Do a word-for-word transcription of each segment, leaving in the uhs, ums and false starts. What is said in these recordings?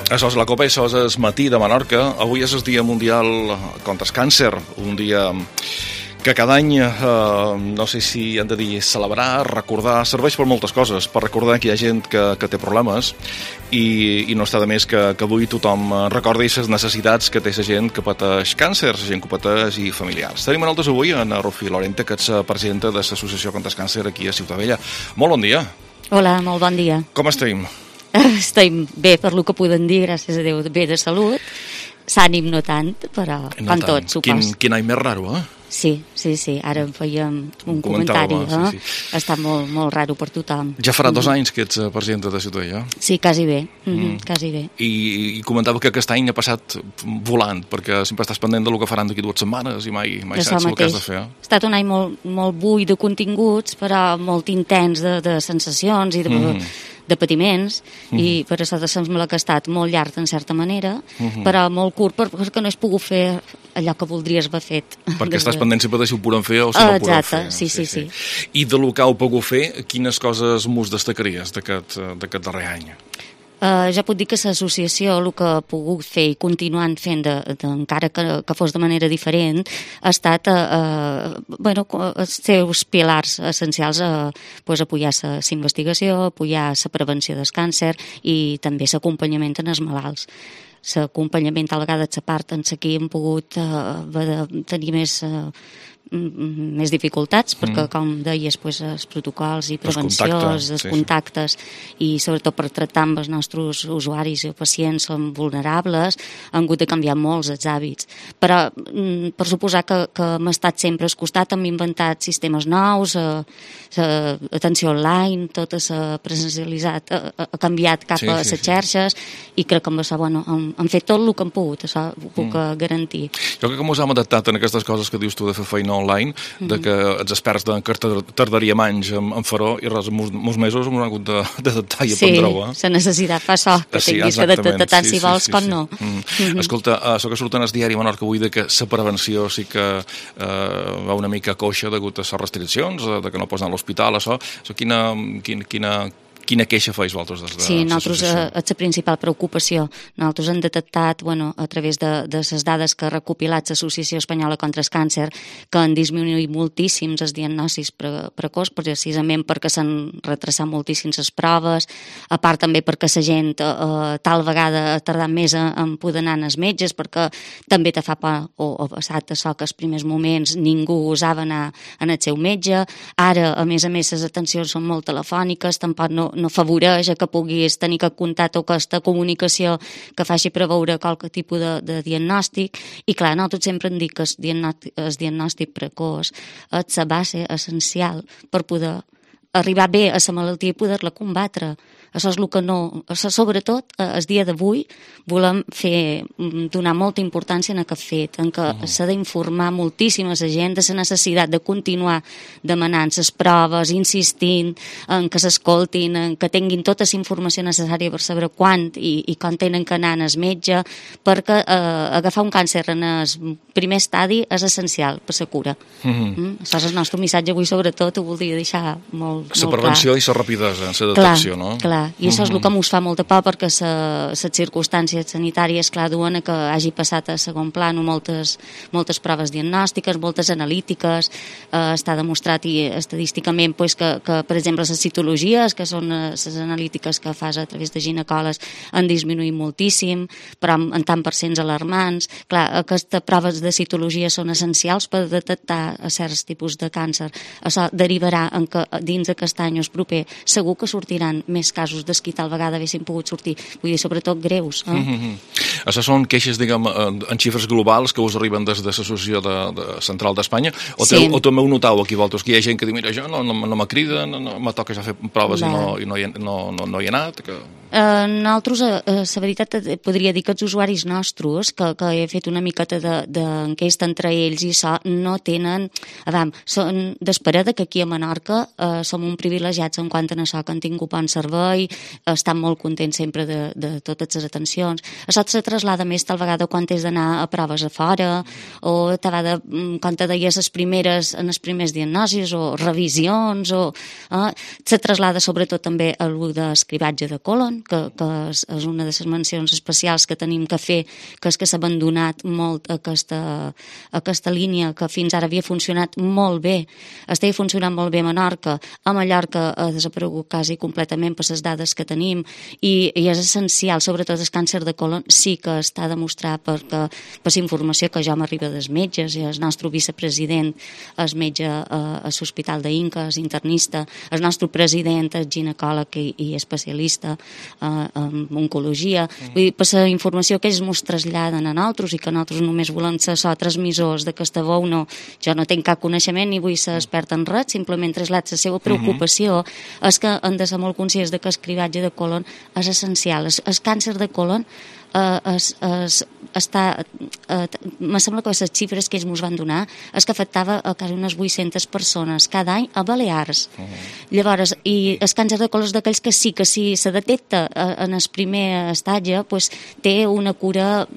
Això és la Copa, això és el matí de Menorca. Avui és el Dia Mundial contra el Càncer, un dia que cada any, eh, no sé si hem de dir celebrar, recordar, serveix per moltes coses, per recordar que hi ha gent que, que té problemes i, i no està de més que, que avui tothom recordi les necessitats que té la gent que pateix càncer, la gent que pateix i familiars. Tenim nosaltres avui en Rufí Lorente, que és presidenta de l'Associació contra el Càncer aquí a Ciutadella. Molt bon dia. Hola, molt bon dia. Com estem? Estem bé per lo que podem dir, gràcies a Déu, bé de salut. S'ànim no tant, però no com tant. Tot, supos. Quin, quin any més raro, eh? Sí, sí, sí. Ara en fèiem un comentari. Eh? Sí, sí. Està molt, molt raro per tothom. Ja farà dos anys que ets presidenta de Ciutadella. Sí, quasi bé. Mm-hmm, mm. Quasi bé. I, I comentava que aquest any ha passat volant, perquè sempre estàs pendent del que faran d'aquí dues setmanes i mai, mai saps el que has de fer. Ha estat un any molt, molt buit de continguts, però molt intens de, de sensacions i de... Mm. de patiments, uh-huh. i per això sembla que ha estat molt llarg en certa manera, uh-huh. però molt curt perquè no has pogut fer allò que voldries haver fet. Perquè estàs pendent sempre de si ho podem fer o si uh, no ho podem fer. Sí, sí, sí, sí. I de lo que heu pogut fer, quines coses mos destacaries d'aquest darrer any? Uh, ja puc dir que l'associació el que ha pogut fer i continuant fent de, de, encara que, que fos de manera diferent ha estat uh, uh, bueno, els seus pilars essencials a uh, pues, apoyar la investigació, apoyar la prevenció del càncer i també l'acompanyament en els malalts. L'acompanyament a la vegada de la part en la que hem pogut uh, tenir més uh, més dificultats, perquè, mm. com deies, pues, els protocols i prevencions, els contactes, sí, i sobretot per tractar amb els nostres usuaris i pacients són vulnerables, han hagut de canviar molts els hàbits. Però, per suposar que, que hem estat sempre al costat, hem inventat sistemes nous, l'atenció online, tot s'ha presencialitzat, ha, ha canviat cap sí, a les sí, xarxes, sí. I crec que amb això, bueno, han, han fet tot el que han pogut, això ho puc mm. garantir. Jo crec que ens hem adaptat en aquestes coses que dius tu de fer feina online, mm-hmm. de que els experts de que tardaríem anys en, en fer-ho i res, molts mesos hem hagut d'adaptar i aprendre-ho. Sí, la necessitat fa això, que sí, tinguis que adaptar tant sí, si vols sí, sí, com sí. no. Mm. Mm-hmm. Escolta, això que surt en el diari Menorca avui de que la prevenció sí que eh, va una mica coixa degut a les restriccions, de que no pots anar a l'hospital, això, això quina, quina, quina Quina queixa feis vosaltres des de Sí, nosaltres és la principal preocupació. Nosaltres hem detectat, bueno, a través de, de les dades que ha recopilat l'Associació Espanyola contra el Càncer, que han disminuït moltíssims els diagnosis pre precoç, precisament perquè s'han retrasat moltíssims les proves, a part també perquè la gent eh, tal vegada ha tardat més en poder anar als metges, perquè també te fa por, o ha passat això que als primers moments ningú osava anar en el seu metge. Ara, a més a més, les atencions són molt telefòniques, tampoc no no afavoreix que puguis tenir aquest contacte o aquesta comunicació que faci preveure qualque tipus de, de diagnòstic. I clar, nosaltres sempre hem dit que el diagnòstic, el diagnòstic precoç és la base essencial per poder arribar bé a la malaltia i poder-la combatre. Això és el que no... Això, sobretot, el dia d'avui, volem fer, donar molta importància en aquest fet, en què uh-huh. s'ha d'informar moltíssim a la gent de la necessitat de continuar demanant les proves, insistint en que s'escoltin, en que tinguin tota la informació necessària per saber quan i, i quan tenen que anar al metge, perquè eh, agafar un càncer en el primer estadi és essencial per la cura. Uh-huh. Mm? Això és el nostre missatge avui, sobretot, ho voldria deixar molt, molt clar. La prevenció i la rapidesa en la detecció, clar, no? Clar. I això és el que ens fa molta por perquè les circumstàncies sanitàries, clar, duen a que hagi passat a segon plano moltes, moltes proves diagnòstiques, moltes analítiques. Eh, està demostrat i estadísticament pues, que, que, per exemple, les citologies, que són les analítiques que fas a través de ginecòlegs, han disminuït moltíssim, però en, en tant per cents alarmants. Clar, aquestes proves de citologia són essencials per detectar certs tipus de càncer. Això derivarà en que dins d'aquest any o proper segur que sortiran més casos dels que tal vegada haguessin pogut sortir, vull dir, sobretot greus. Eh? Mm-hmm. Això són queixes, diguem, en xifres globals que us arriben des de l'Associació de, de Central d'Espanya, o, sí. o també ho notau aquí, vosaltres, que hi ha gent que diu, mira, jo no, no, no me crida, no, no me toca ja fer proves i, no, i no, hi, no, no, no hi he anat, que... Uh, nosaltres, uh, la veritat, podria dir que els usuaris nostres, que, que he fet una miqueta d'enquesta de, entre ells i això, no tenen... Adam, són d'esperada que aquí a Menorca uh, som un privilegiats en quant a això, que han tingut bon servei, estan molt contents sempre de, de totes les atencions. Això se traslada més tal vegada quan has d'anar a proves a fora, o tal vegada quan te deies les primeres, en els primers diagnosis, o revisions, o... Uh, se traslada sobretot també a l'u d'escrivatge de colon, Colon, que, que és, és una de les mencions especials que tenim que fer, que és que s'ha abandonat molt aquesta, aquesta línia que fins ara havia funcionat molt bé, estava funcionant molt bé a Menorca, a Mallorca ha desaparegut quasi completament per les dades que tenim, i, i és essencial, sobretot el càncer de colon sí que està demostrat perquè, per la informació que jo m'arriba dels metges, i el nostre vicepresident és metge a, a l'Hospital d'Inca, és internista, el nostre president és ginecòleg i, i especialista eh, en oncologia. Mm. Vull dir, per la informació que ells ens traslladen a nosaltres i que nosaltres només volem ser so transmissors d'aquesta veu, no, jo no tinc cap coneixement ni vull ser expert en res, simplement trasllat la seva preocupació. Mm-hmm. És que hem de ser molt conscients de que el cribatge de colon és essencial. El, el càncer de colon Uh, es, es, està, uh, me sembla que les xifres que ells ens van donar és que afectava a quasi unes vuit-centes persones cada any a Balears. Uh -huh. Llavors, i el càncer de colon és d'aquells que sí que si se detecta uh, en el primer estatge, pues, té una cura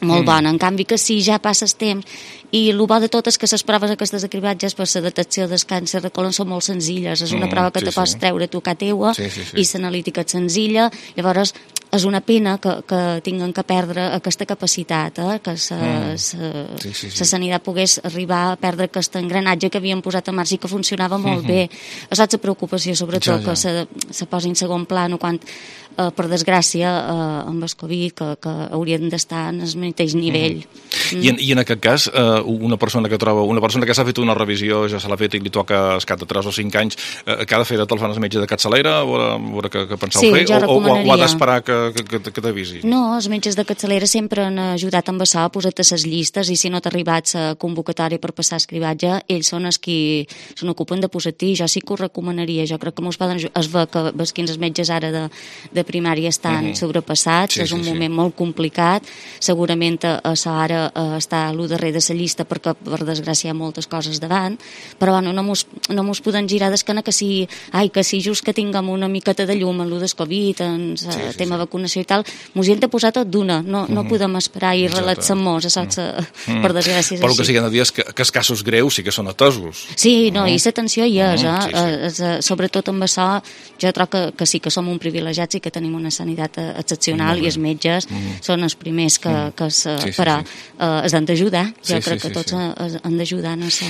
molt mm. bona. En canvi que si ja passa el temps, i el bo de tot és que les proves aquestes de cribatges per la detecció del càncer de colon són molt senzilles, és una mm, prova que sí, te pots sí. treure tu a teua, sí, sí, sí. i l'analítica és senzilla, llavors és una pena que, que tinguin que perdre aquesta capacitat, eh? Que la mm. sí, sí, sí. sanitat pogués arribar a perdre aquest engranatge que havien posat en marxa i que funcionava molt mm-hmm. bé. Això és la preocupació, sobretot, ja, ja. que se, se posi en segon plano quan, eh, per desgràcia, eh, amb el Covid, que, que haurien d'estar en el mateix nivell. Mm-hmm. Mm. I, en, I en aquest cas, eh, una persona que troba, una persona que s'ha fet una revisió, ja se l'ha fet i li toca al cap de tres o cinc anys, eh, que ha de fer de telefon al metge de capçalera, o a veure què, què penseu sí, fer, o, o, o ha d'esperar que que, que, que t'avisi? No, els metges de capçalera sempre han ajudat amb això, a posar-te les llistes, i si no t'ha arribat la convocatòria per passar el cribatge, ells són els qui se n'ocupen de posar-t'hi. Jo sí que ho recomanaria, jo crec que mos poden ajudar. Es ve que els quins metges ara de, de primària estan uh -huh. sobrepassats, sí, és un sí, moment sí. molt complicat, segurament això ara eh, està a l'u darrer de la llista perquè per desgràcia hi ha moltes coses davant, però bueno, no mos, no mos poden girar d'esquena que si, ai, que si just que tinguem una miqueta de llum en l'u del Covid, en el sí, sí, tema sí. vacunació i tal, mos hi hem de posar tot d'una, no, no mm -hmm. podem esperar i relaxar-nos, això mm -hmm. per desgràcia és però així. Però que sí que han de dir és que, que els casos greus sí que són atesos. Sí, no, mm -hmm. i l'atenció hi és, mm -hmm. eh? sí, sí. Eh, sobretot amb això, jo trobo que, que sí que som un privilegiats i que tenim una sanitat excepcional, mm -hmm. i els metges mm -hmm. són els primers que, mm -hmm. que se, sí, sí, però sí. Eh, es han d'ajudar, jo sí, crec sí, que tots sí. es, han d'ajudar en això.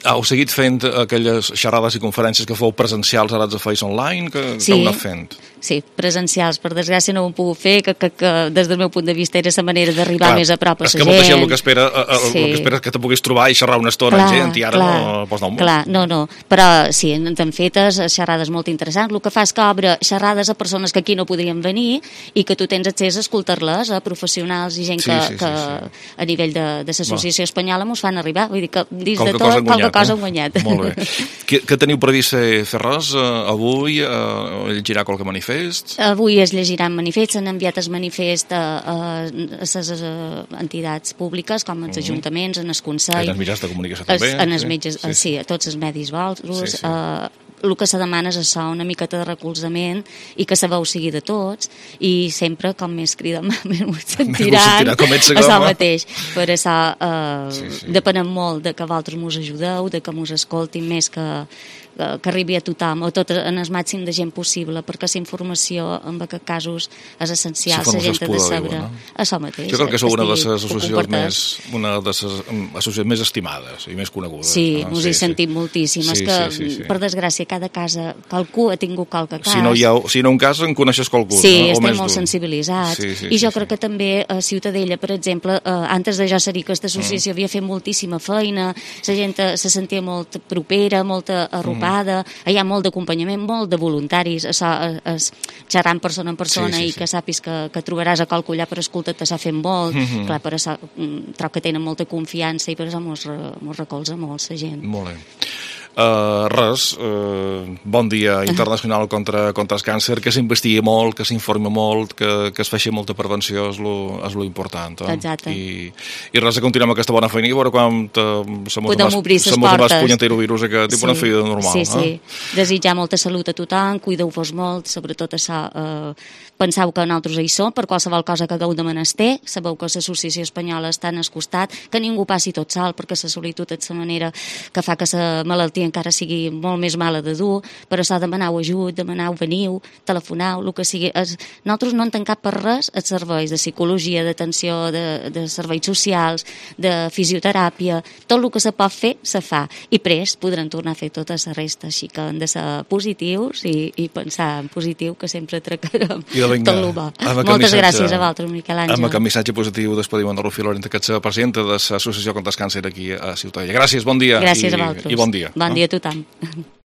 Heu seguit fent aquelles xerrades i conferències que feu presencials, ara de feis online, que, sí. que heu anat fent? Sí, presencials, per desgràcia no ho hem pogut fer, que, que, que des del meu punt de vista era la manera d'arribar més a prop a la gent. És que molta gent el que espera, el, sí. el que espera és que te puguis trobar i xerrar una estona clar, amb gent, i ara clar, no pots anar molt. Clar, no, no, però sí, hem fetes xerrades molt interessants. El que fa és que obre xerrades a persones que aquí no podrien venir i que tu tens accés a escoltar-les, a professionals i gent sí, que, sí, sí, que sí. a nivell de, de l'Associació Espanyola mos fan arribar. Vull dir que dins qualque de tot, cosa qualque cosa hem guanyat. Eh? Molt bé. Que, que teniu previst fer, fer res uh, avui? Uh, llegirà qualque manifest? Avui es llegiran manifests, s'han enviat el manifest a, a, a les entitats públiques, com els uh -huh. ajuntaments, en el Consell. En els mitjans de comunicació també. En els metges, sí, sí, a tots els medis valtros. Sí, sí. Uh, el que se demana és això, una miqueta de recolzament i que la veu sigui de tots, i sempre, com més crida, més ho sentiran, això mateix. Per això eh, sí, sí. depenem molt de que vosaltres mos ajudeu, de que mos escoltin més, que que arribi a tothom, o tot en el màxim de gent possible, perquè la informació en aquests casos és essencial, la gent ha de saber no? això mateix. Jo crec que sou una de les associacions més, una de les associacions més estimades i més conegudes. Sí, no? Us sí, hi sentim sí. moltíssim. Sí, és que, sí, sí, sí. per desgràcia, cada casa, qualcú ha tingut qualque cas. Si no hi ha, si no un cas, en coneixes qualcú. Sí, no? estem molt sensibilitzats. Sí, sí, I jo sí, crec sí. que també a Ciutadella, per exemple, eh, antes de jo ser aquesta associació, mm. havia fet moltíssima feina, la gent se sentia molt propera, molt arropada, mm. hi ha molt d'acompanyament, molt de voluntaris, això és xerrant persona en persona sí, sí, i que sí. sàpis que, que trobaràs a qualcú allà per escoltar-te, s'ha fet molt, mm -hmm. clar, per això trobo que tenen molta confiança i per això mos, mos recolza molt la gent. Molt bé. Uh, res, uh, bon dia internacional contra, contra el càncer, que s'investigui molt, que s'informi molt, que, que es faci molta prevenció, és lo, és lo important. Eh? Exacte. I, I res, de continuar amb aquesta bona feina i veure quan se mos podem obrir les portes. Se punyentero virus aquest, sí. una feina normal. Sí, sí. Eh? Desitjar molta salut a tothom, cuideu-vos molt, sobretot això, eh, penseu que nosaltres hi som, per qualsevol cosa que hagueu de menester, sabeu que l'Associació Espanyola està en el costat, que ningú passi tot sol, perquè la solitud és la manera que fa que la malaltia encara sigui molt més mala de dur, però s'ha demanat ajut, demanau, veniu, telefonau, el que sigui. Es, nosaltres no en tancat per res els serveis de psicologia, d'atenció, de, de serveis socials, de fisioteràpia, tot el que se pot fer, se fa. I prest podran tornar a fer tota la resta, així que han de ser positius i, i pensar en positiu, que sempre tractarem tot el bo. Moltes gràcies a vosaltres, Miquel Àngel. Amb aquest missatge positiu despedim en Rufí Lorente, que és la presidenta de l'Associació contra el Càncer aquí a Ciutadella. Gràcies, bon dia. Gràcies i, a vosaltres. I bon dia. Bon dia a tothom.